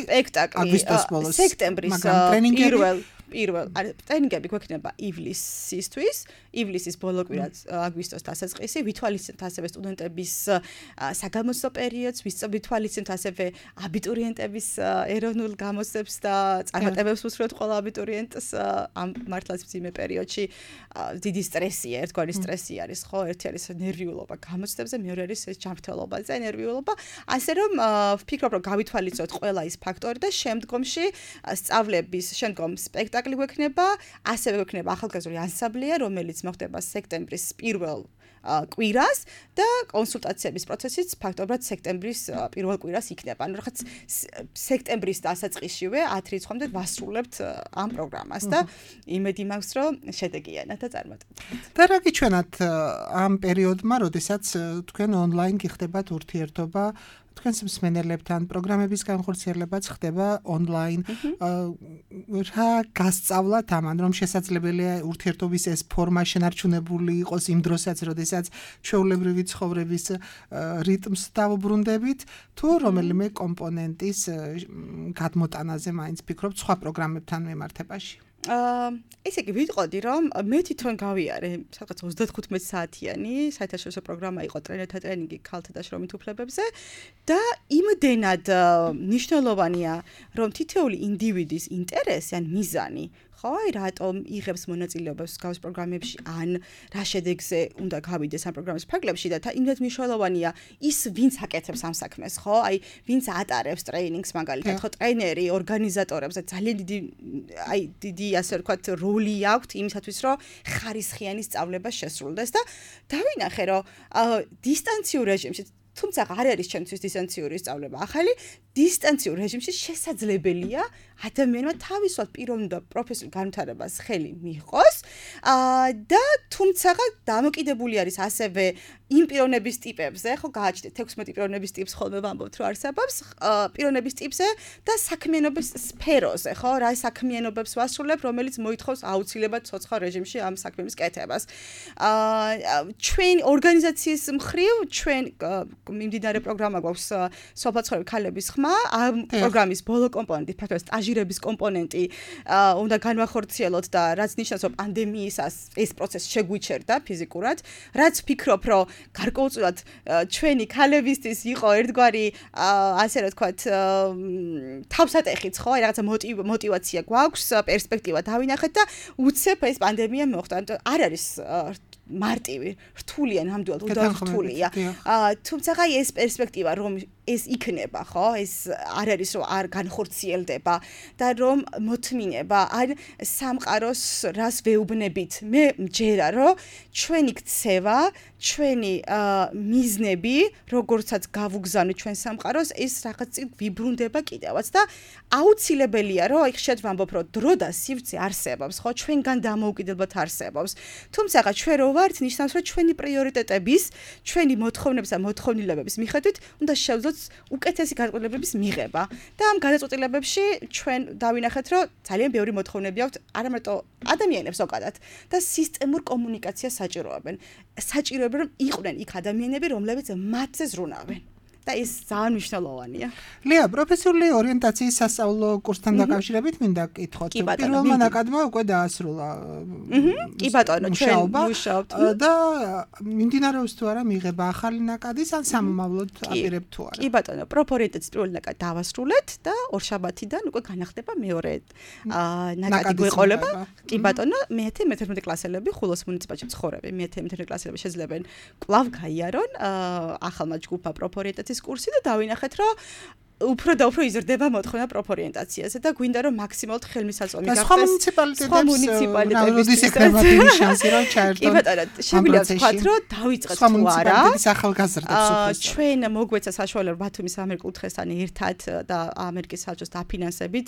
აგვისტოს ბოლოს პირველ პირველ ტრენინგები გვექნება ივლისისთვის, ივლისის ბოლო კვირა აგვისტოს დასაწყისი, ვითვალისწინებთ ასევე სტუდენტების საგამოცდო პერიოდს, ვითვალისწინებთ ასევე აბიტურიენტების ეროვნულ გამოცდებს და წარმატებებს უსურვებთ ყველა აბიტურიენტს ამ მართლაც მძიმე პერიოდში დიდი სტრესია, ერთგვარი სტრესი არის, ხო, ერთი არის ნერვიულობა გამოცდებზე, მეორე არის ეს ჯანმრთელობა და ნერვიულობა, ასე რომ ვფიქრობ, რომ გავითვალისწინოთ ყველა ის ფაქტორი და შემდგომში სწავლების, შემდგომ სპექტაკლი გვექნება, ასევე გვექნება ახალგაზრდული ანსამბლია, რომელიც მოხდება სექტემბრის პირველ კვირას და კონსულტაციების პროცესიც ფაქტობრივად სექტემბრის პირველ კვირას იქნება. ანუ რაღაც სექტემბრის დასაწყისშივე ათი რიცხვამდე ვასრულებთ ამ პროგრამას და იმედი მაქვს, რომ შედეგიანად და წარმატებულად. და რა გიჩვენათ ამ პერიოდმა, როდესაც თქვენ ონლაინ გიხდებათ ურთიერთობა თქვენს მსმენელებთან, პროგრამების განხორციელებაც ხდება ონლაინ. რა გასწავლათ ამან, რომ შესაძლებელია ურთიერთობის ეს ფორმა შენარჩუნებული იყოს იმ დროსაც, როდესაც ჩვეულებრივი ცხოვრების რიტმს დავუბრუნდებით, თუ რომელიმე კომპონენტის გადმოტანაზე მაინც ფიქრობთ სხვა პროგრამებთან მიმართებაში? აა ესე იგი ვიტყოდი რომ მე თვითონ გავიარე სადღაც ოცდათხუთმეტ საათიანი საერთაშორისო პროგრამა იყო ტრენერთა ტრენინგი ქალთა და შრომით უფლებებზე და იმდენად მნიშვნელოვანია რომ თითოეული ინდივიდის ინტერესი ან მიზანი ხო აი რატომ იღებს მონაწილეობას გავს პროგრამებში ან რა შედეგზე უნდა გავიდეს ამ პროგრამის ფარგლებში და იმდენად მნიშვნელოვანია ის ვინც აკეთებს ამ საქმეს ხო აი ვინც ატარებს ტრეინინგს მაგალითად ხო ტრეინერი ორგანიზატორებს ძალიან დიდი აი დიდი ასე ვთქვათ როლი აქვს იმისათვის რომ ხარისხიანი სწავლება შესრულდეს და დავინახე რომ დისტანციურ რეჟიმში თუმცა არ არის ჩემთვის დისტანციური სწავლება ახალი დისტანციურ რეჟიმში შესაძლებელია ადამიანმა თავისუფლად პიროვნულ და პროფესიულ განვითარებას ხელი მიიღოს და თუმცა დამოკიდებული არის ასევე იმ პიროვნების ტიპებზე ხო გააჩნდეთ თექვსმეტი პიროვნების ტიპს ხოლმე ვამბობთ რომ არსებობს პიროვნების ტიპზე და საქმიანობის სფეროზე ხო რა საქმიანობებს ვასრულებ რომელიც მოითხოვს აუცილებლად ცოცხალ რეჟიმში ამ საქმის კეთებას ჩვენ ორგანიზაციის მხრივ ჩვენ მიმდინარე პროგრამა გვაქვს სოფლაცხოვრები ქალების ხმა ამ პროგრამის ბოლო კომპონენტი ფაქტობრივად სტაჟირების კომპონენტი უნდა განვახორციელოთ და რაც ნიშნავს რომ პანდემიისას ეს პროცესი შეგვიჩერდა ფიზიკურად რაც ვფიქრობ რომ გარკვეულწილად ჩვენი ქალებისთვის იყო ერთგვარი ასე რა თქვათ თავსატეხიც ხო აი რაღაცა мотиваცია გვაქვს პერსპექტივა დავინახეთ და უცებ ეს პანდემია მოხდა არ არის მარტივი რთულია ნამდვილად უნდა რთულია თუმცა აი ეს პერსპექტივა რომ ეს იქნება ხო ეს არ არის რომ არ განხორციელდება და რომ მოთმინება ან სამყაროს რას ვეუბნებით მე მჯერა რომ ჩვენი ქცევა ჩვენი მიზნები როგორცაც გავუგზავნით ჩვენ სამყაროს ეს რაღაც ვიბრუნდება კიდევაც და აუცილებელია რომ აი ხშირად ვამბობ რომ დრო და სივრცე არსებობს ხო ჩვენგან დამოუკიდებლად არსებობს თუმცა ჩვენ რო ვართ ნიშნავს რომ ჩვენი პრიორიტეტების ჩვენი მოთხოვნების და მოთხოვნილებების მიხედვით უნდა შევძლოთ უკეთესი განწყობილების მიღება და ამ განწყობილებებში ჩვენ დავინახეთ რომ ძალიან ბევრი მოთხოვნები აქვს არა მარტო ადამიანებს ზოგადად და სისტემურ კომუნიკაციას საჭიროებენ საჭიროებენ რომ იყვნენ იქ ადამიანები რომლებიც მათზე ზრუნავენ და ეს ძალიან მნიშვნელოვანია. ლია, პროფესიული ორიენტაციის სასწავლო კურსთან დაკავშირებით მინდა გკითხოთ. პირველმა ნაკადმა უკვე დაასრულა. კი ბატონო, ჩვენ მუშაობთ და მიმდინარეობს თუ არა მიღება ახალი ნაკადის ან სამომავლოდ აპირებთ თუ არა. კი ბატონო, პროფორიენტაციის პირველი ნაკადი დავასრულეთ და ორშაბათიდან უკვე განახდება მეორე ნაკადი გვეყოლება. კი ბატონო, მეათე მეთერთმეტე კლასელები ხულოს მუნიციპალიტეტში ცხოვრები. მეათე მეთერთმეტე კლასელები შეძლებენ კვლავ გაიარონ ახალმა ჯგუფმა პროფორიენტაციის კურსი და დავინახეთ რომ უფრო და უფრო იზრდება მოთხოვნა პროფორიენტაციაზე და გვინდა რომ მაქსიმალურად ხელმისაწვდომი გახდეს სხვა მუნიციპალიტეტებს როდის ექნება დიდი შანსი რომ ჩაერთონ კი ბატონო შეგვიძლია ვთქვათ რომ დავიწყეთ თუ არა ახალგაზრდებს უფრო ჩვენ მოგვეცა საშუალება ბათუმის ამერიკულ თხესთან ერთად და ამერიკის საბჭოს დაფინანსებით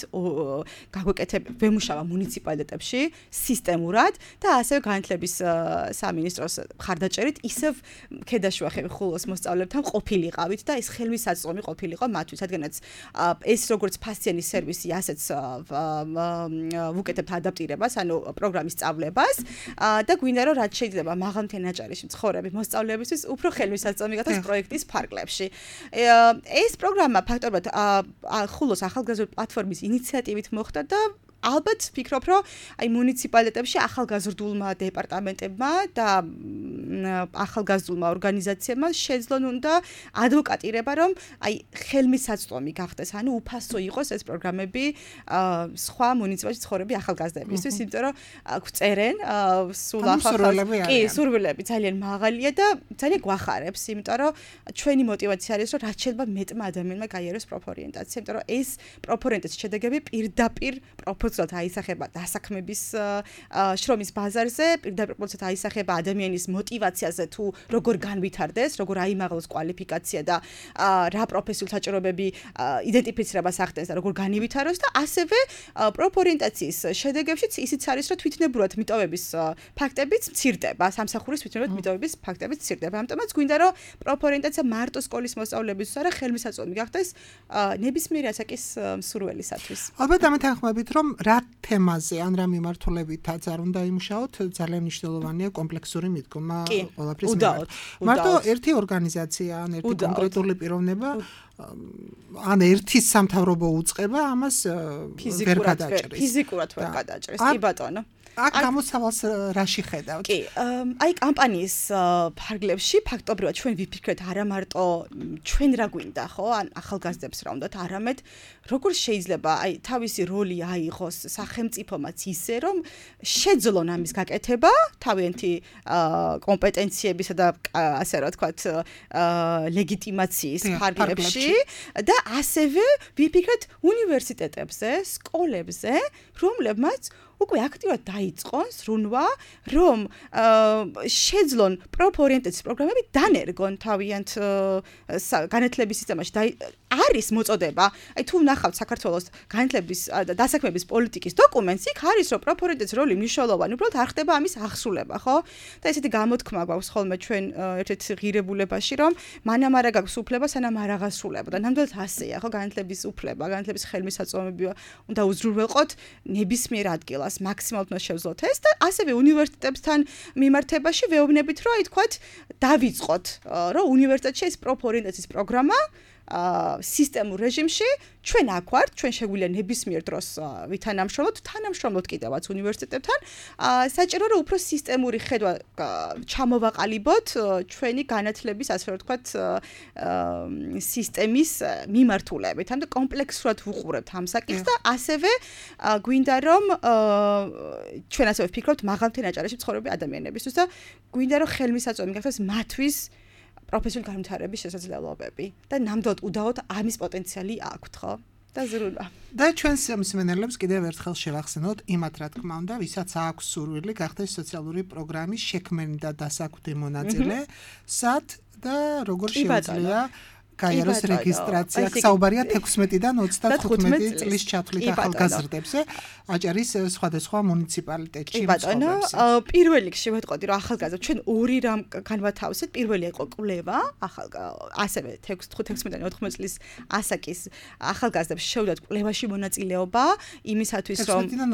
გაგვეკეთებ ვემუშავა მუნიციპალიტეტებში სისტემურად და ასევე განათლების სამინისტროს მხარდაჭერით ისევ ქედაშუახები ხულოს მოსწავლეებთან ყოფილიყავით და ეს ხელმისაწვდომი ყოფილიყო მათთვის ეს როგორც ფასიანი სერვისი ასეც ვუკეთებთ ადაპტირებას ანუ პროგრამის სწავლებას და გვინდა რომ რაც შეიძლება მაღალმთიანი აჭარაში მცხოვრები მოსწავლეებისთვის უფრო ხელმისაწვდომი გახდეს პროექტის ფარგლებში ეს პროგრამა ფაქტობრივად ხულოს ახალგაზრდული პლატფორმის ინიციატივით მოხდა და ალბათ ვფიქრობ რომ აი მუნიციპალიტეტებში ახალგაზრდულმა დეპარტამენტებმა და ახალგაზრდულმა ორგანიზაციებმა შეძლონ უნდა ადვოკატირება რომ აი ხელმისაწვდომი გახდეს ანუ უფასო იყოს ეს პროგრამები სხვა მუნიციპალიტეტში ცხოვრები ახალგაზრდებისთვის იმიტომ რომ გვწერენ სულ ახალგაზრდები კი სურვილები ძალიან მაღალია და ძალიან გვახარებს იმიტომ რომ ჩვენი мотиваცია არის რომ რაც შეიძლება მეტმა ადამიანმა გაიაროს პროფორიენტაცია იმიტომ რომ ეს პროფორიენტაციის შედეგები პირდაპირ პროფ პროპორციულად აისახება დასაქმების შრომის ბაზარზე, პირდაპირ პროპორციულად აისახება ადამიანის мотиваციაზე თუ როგორ განვითარდეს, როგორ აიმაღლოს კვალიფიკაცია და რა პროფესიულ საჭიროებები იდენტიფიცირებას ახდენს და როგორ განივითაროს და ასევე პროპორიენტაციის შედეგებშიც ისიც არის, რომ თვითნებურად მიტოვების ფაქტებიც მცირდება, სამსახურის თვითნებურად მიტოვების ფაქტებიც მცირდება. ამიტომაც გვინდა რომ პროპორიენტაცია მარტო სკოლის მოსწავლეებისთვის არა, ხელმისაწვდომი გახდეს ნებისმიერი ასაკის მსურველისათვის. ალბათ ამით თანხმობით, რომ რა თემაზე ან რა მიმართულებითაც არ უნდა იმუშაოთ, ძალიან მნიშვნელოვანია კომპლექსური მიდგომა ყველაფრის მიმართ. მარტო ერთი ორგანიზაცია ან ერთი კონკრეტული პიროვნება ან ერთის სამთავრობო უწყება ამას ვერ გადაჭრის. ფიზიკურად ვერ გადაჭრის, კი ბატონო. აქ გამოსავალს რაში ხედავთ? კი, აი კამპანიის ფარგლებში ფაქტობრივად ჩვენ ვიფიქრეთ არა მარტო ჩვენ რა გვინდა, ხო, ან ახალგაზრდებს რა უნდათ, არამედ როგორ შეიძლება აი თავისი როლი აიღოს სახელმწიფომაც ისე, რომ შეძლონ ამის გაკეთება თავიანთი კომპეტენციებისა და ასე რა ვთქვათ ლეგიტიმაციის ფარგლებში და ასევე ვიფიქრეთ უნივერსიტეტებზე, სკოლებზე, რომლებმაც უკვე აქტიურად დაიწყონ სრუნვა, რომ შეძლონ პროპორიენტაციის პროგრამები დანერგონ თავიანთ განათლების სისტემაში და არის მოწოდება. აი თუ ნახავთ საქართველოს განათლების და დასაქმების პოლიტიკის დოკუმენტს, იქ არის რომ პროპორიენტაციის როლი მნიშვნელოვანი, უბრალოდ არ ხდება ამის აღსრულება, ხო? და ესეთი გამოთქმა გვაქვს ხოლმე ჩვენ ერთ-ერთ ღირებულებაში, რომ მანამ არა გაქვს უფლება, სანამ არ აღასრულება. და ნამდვილად ასეა, ხო, განათლების უფლება, განათლების ხელმისაწვდომები უნდა უზრუნველყოთ ნებისმიერ ადგილას. მაქსიმალურად უნდა შევძლოთ ეს და ასევე უნივერსიტეტებთან მიმართებაში ვეუბნებით, რომ აი თქვათ დავიწყოთ, რომ უნივერსიტეტში ეს პროპორიენტაციის პროგრამა სისტემურ რეჟიმში ჩვენ აქ ვართ, ჩვენ შეგვიძლია ნებისმიერ დროს ვითანამშრომლოთ, თანამშრომლოთ კიდევაც უნივერსიტეტებთან. საჭირო რომ უფრო სისტემური ხედვა ჩამოვაყალიბოთ ჩვენი განათლების, ასე რომ ვთქვათ, სისტემის მიმართულებით. ანუ კომპლექსურად ვუყურებთ ამ საკითხს და ასევე გვინდა რომ ჩვენ ასევე ვფიქრობთ მაღალმთიან აჭარაში მცხოვრები ადამიანებისთვის და გვინდა რომ ხელმისაწვდომი გახდეს მათთვის პროფესიული განვითარების შესაძლებლობები და ნამდვილად უდაოდ ამის პოტენციალი აქვთ, ხო? და ზრუნვა. და ჩვენს მსმენელებს კიდევ ერთხელ შევახსენოთ იმათ, რა თქმა უნდა, ვისაც აქვს სურვილი გახდეს სოციალური პროგრამის შექმენი და დასაქმებული მონაწილე, სად და როგორ შეუძლია გაიაროს რეგისტრაცია. საუბარია თექვსმეტიდან ოცდათხუთმეტი წლის ჩათვლით ახალგაზრდებზე აჭარის სხვადასხვა მუნიციპალიტეტში მცხოვრებს. პირველ რიგში ვეტყოდი, რომ ახალგაზრდა ჩვენ ორი რამ განვათავსეთ. პირველი იყო კვლევა, ახალ ასევე თექვსმეტიდან ოთხმეტი წლის ასაკის ახალგაზრდებს შევდათ კვლევაში მონაწილეობა იმისათვის, რომ თექვსმეტიდან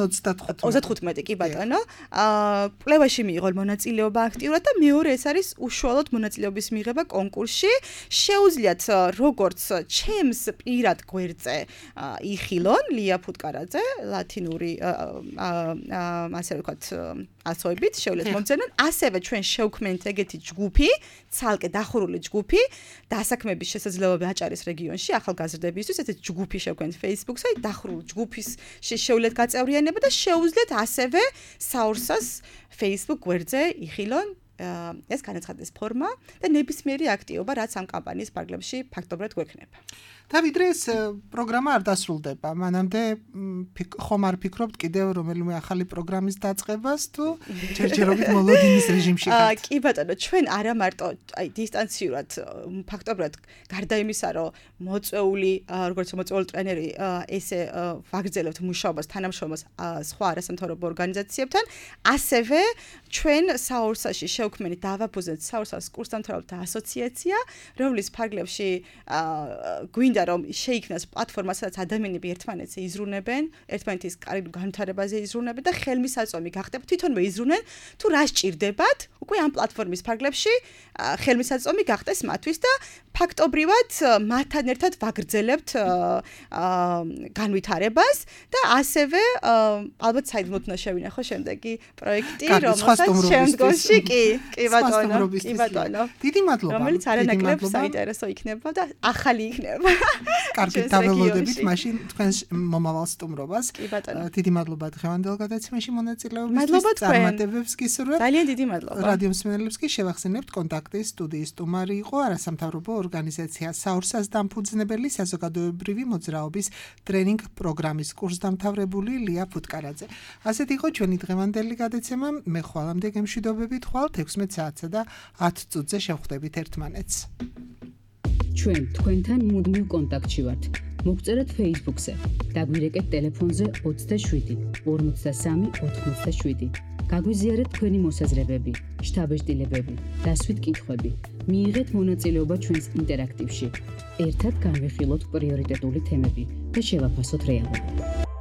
ოცდათხუთმეტი კი ბატონო. კვლევაში მიიღო მონაწილეობა აქტიურად და მეორე ეს არის უშუალოდ მონაწილეობის მიღება კონკურსში. შეუძლიათ როგორც ჩემს პირად გვერდზე იხილონ ლია ფუტკარაძე ლათინური ასე ვთქვათ ასოებით შეუძლიათ მომცემენ ასევე ჩვენ შევქმნით ეგეთი ჯგუფი ცალკე დახურული ჯგუფი დასაქმების შესაძლებლობები აჭარის რეგიონში ახალგაზრდებისთვის ესეთი ჯგუფი შევქმნით Facebook-ზე დახურული ჯგუფის შეუძლიათ გაწევრიანება და შეუძლიათ ასევე საურსას Facebook გვერდზე იხილონ ეს განაცხადეს ფორმა და ნებისმიერი აქტივობა რაც ამ კამპანიის ფარგლებში ფაქტობრივად გვექნება. და ვიდრე ეს პროგრამა არ დასრულდება, მანამდე ხომ არ ფიქრობთ კიდევ რომელიმე ახალი პროგრამის დაწყებას თუ ჯერჯერობით მოლოდინის რეჟიმში ხართ? კი ბატონო, ჩვენ არა მარტო აი დისტანციურად ფაქტობრივად გარდა იმისა, რომ მოწვეული როგორც მოწვეული ტრენერი ესე ვაგრძელებთ მუშაობას თანამშრომლობას სხვა არასამთავრობო ორგანიზაციებთან, ასევე ჩვენ საურსაში შევქმნით დავაფუძნეთ საურსას კურსდამთავრებთა ასოციაცია, რომლის ფარგლებში გვინდა რომ შეიქმნას პლატფორმა, სადაც ადამიანები ერთმანეთზე იზრუნებენ, ერთმანეთის განვითარებაზე იზრუნებენ და ხელმისაწვდომი გახდება თვითონვე იზრუნენ, თუ რა სჭირდებათ, უკვე ამ პლატფორმის ფარგლებში ხელმისაწვდომი გახდეს მათთვის და ფაქტობრივად მათთან ერთად ვაგრძელებთ განვითარებას და ასევე ალბათ საიდუმლოდ უნდა შევინახო შემდეგი პროექტი, რომელსაც შემდგომში კი, კი ბატონო, კი ბატონო. დიდი მადლობა. რომელიც არანაკლებ საინტერესო იქნება და ახალი იქნება. კარგი, დაველოდებით მაშინ თქვენს მომავალ სტუმრობას. კი ბატონო. დიდი მადლობა დღევანდელ გადაცემაში მონაწილეობისთვის. წარმატებებს გისურვებთ. ძალიან დიდი მადლობა. რადიო მსმენელებს კი შევახსენებთ კონტაქტის სტუდიის სტუმარი იყო არასამთავრობო ორგანიზაცია საორსას დამფუძნებელი საზოგადოებრივი მოძრაობის ტრენინგ პროგრამის კურსდამთავრებული ლია ფუტკარაძე. ასეთ იყო ჩვენი დღევანდელი გადაცემა. მე ხვალამდე გემშვიდობებით ხვალ თექვსმეტ საათსა და ათ წუთზე შევხვდებით ერთმანეთს. ჩვენ თქვენთან მუდმივ კონტაქტში ვართ. მოგწერეთ Facebook-ზე, დაგვირეკეთ ტელეფონზე ოცდაშვიდი ორმოცდასამი ოთხმოცდაშვიდი. გაგვიზიარეთ თქვენი მოსაზრებები, შთაბეჭდილებები, დასვით კითხვები. მიიღეთ მონაწილეობა ჩვენს ინტერაქტივში. ერთად განვიხილოთ პრიორიტეტული თემები და შევაფასოთ რეალობა.